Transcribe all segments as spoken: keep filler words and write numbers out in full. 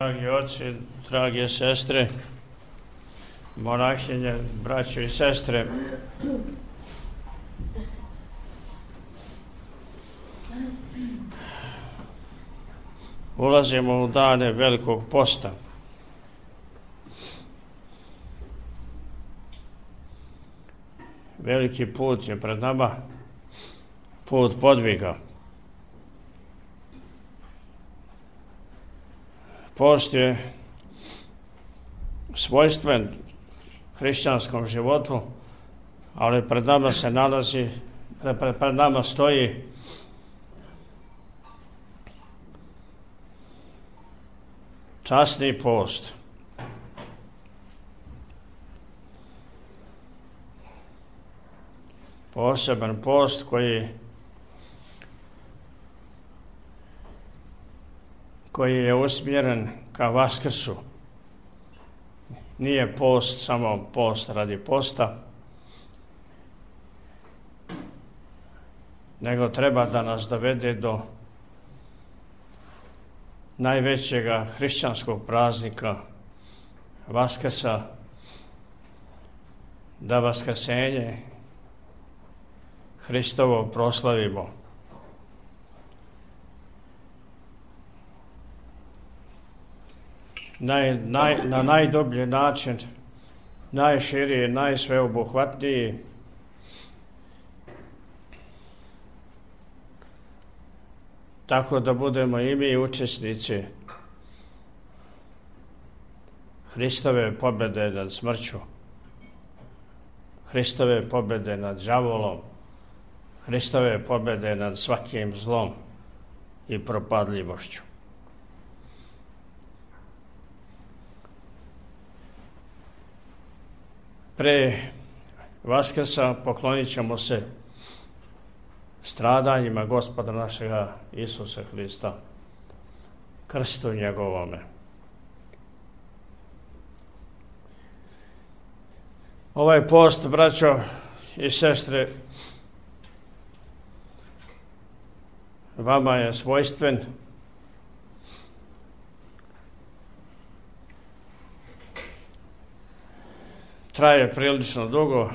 Dragi oci, drage sestre, monahinje, braćo i sestre, ulazimo u dane velikog posta. Veliki put je pred nama, put podviga. Post je svojstven hrišćanskom životu, ali pred nama se nalazi, pred, pred nama stoji časni post. Poseban post koji koji je usmjeren ka Vaskrsu. Nije post samo post radi posta, nego treba da nas dovede do najvećega hrišćanskog praznika Vaskrsa, da vaskrsenje Hristovo proslavimo. Naj, naj, na najdublji način, najširiji, najsveobuhvatniji, tako da budemo i mi učesnici Hristove pobjede nad smrću, Hristove pobjede nad đavolom, Hristove pobjede nad svakim zlom i propadljivošću. Pre Vaskrsa poklonit ćemo se stradanjima Gospoda našega Isusa Hrista, krstu njegovome. Ovaj post, braćo i sestre, vama je svojstven. Traje prilično dugo.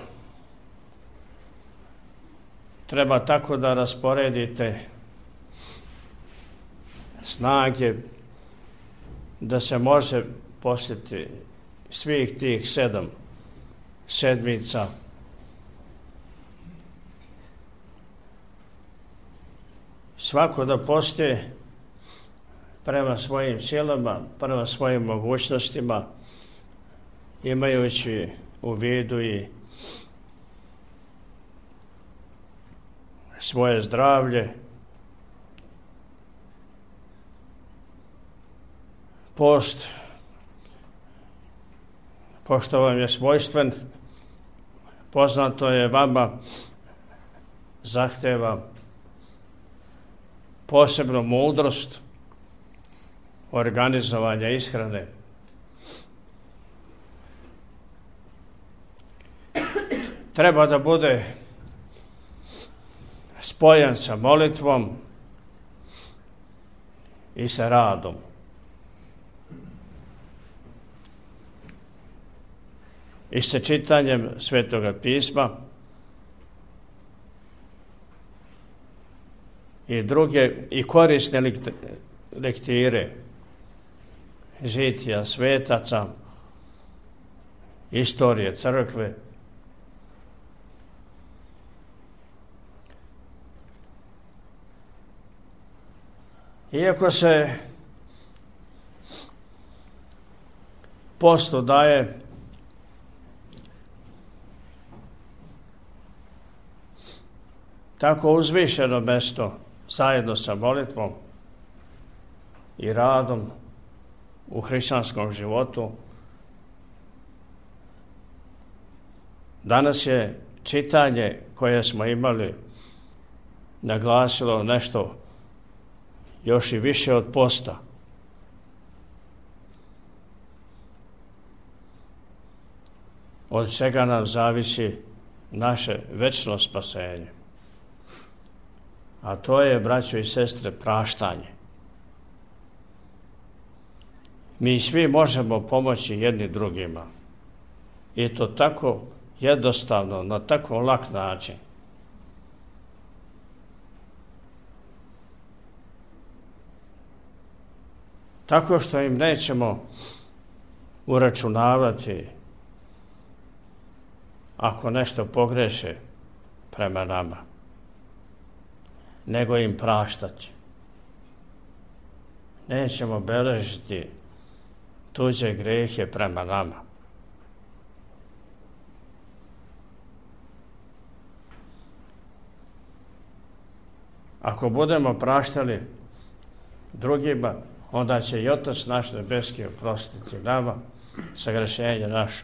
Treba tako da rasporedite snage da se može posjetiti svih tih sedam sedmica svako da posti prema svojim silama, prema svojim mogućnostima, imajući u vidu i svoje zdravlje. Post, pošto vam je svojstven, poznato je vama, zahteva posebnu mudrost organizovanja ishrane. Treba da bude spojen sa molitvom i sa radom. I sa čitanjem Svetoga pisma i druge i korisne lektire, žitija svetaca, istorije crkve. Iako se postu daje tako uzvišeno mesto zajedno sa molitvom i radom u hrišćanskom životu, danas je čitanje koje smo imali naglasilo nešto još i više od posta. Od čega nam zavisi naše večno spasenje. A to je, braćo i sestre, praštanje. mi svi možemo pomoći jedni drugima. I to tako jednostavno, na tako lak način. Tako što im nećemo uračunavati ako nešto pogreše prema nama, nego im praštati. Nećemo beležiti tuđe grehe prema nama. Ako budemo praštali drugima, onda će i Otac naš nebeski oprostiti nama sagrešenje naše.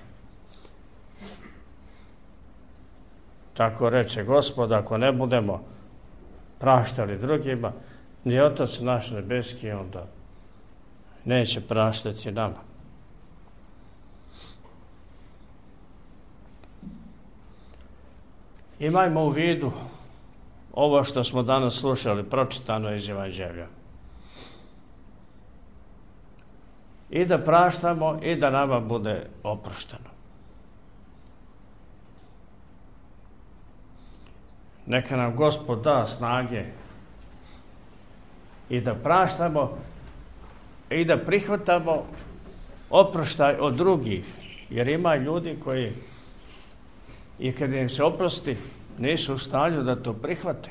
Tako reče Gospod, ako ne budemo praštali drugima, ni Otac naš nebeski onda neće praštati nama. Imajmo u vidu ovo što smo danas slušali, pročitano iz Evanđelja. I da praštamo i da nama bude oprošteno. Neka nam Gospod da snage i da praštamo i da prihvatamo oproštaj od drugih, jer ima ljudi koji i kad im se oprosti nisu u stanju da to prihvate.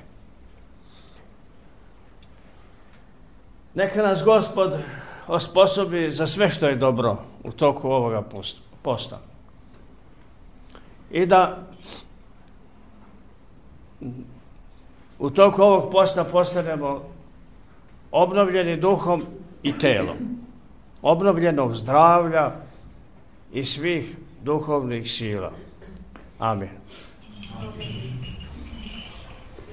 Neka nas Gospod osposobi za sve što je dobro u toku ovoga posta. I da u toku ovog posta postanemo obnovljeni duhom i telom, obnovljenog zdravlja i svih duhovnih sila. Amin. Amin.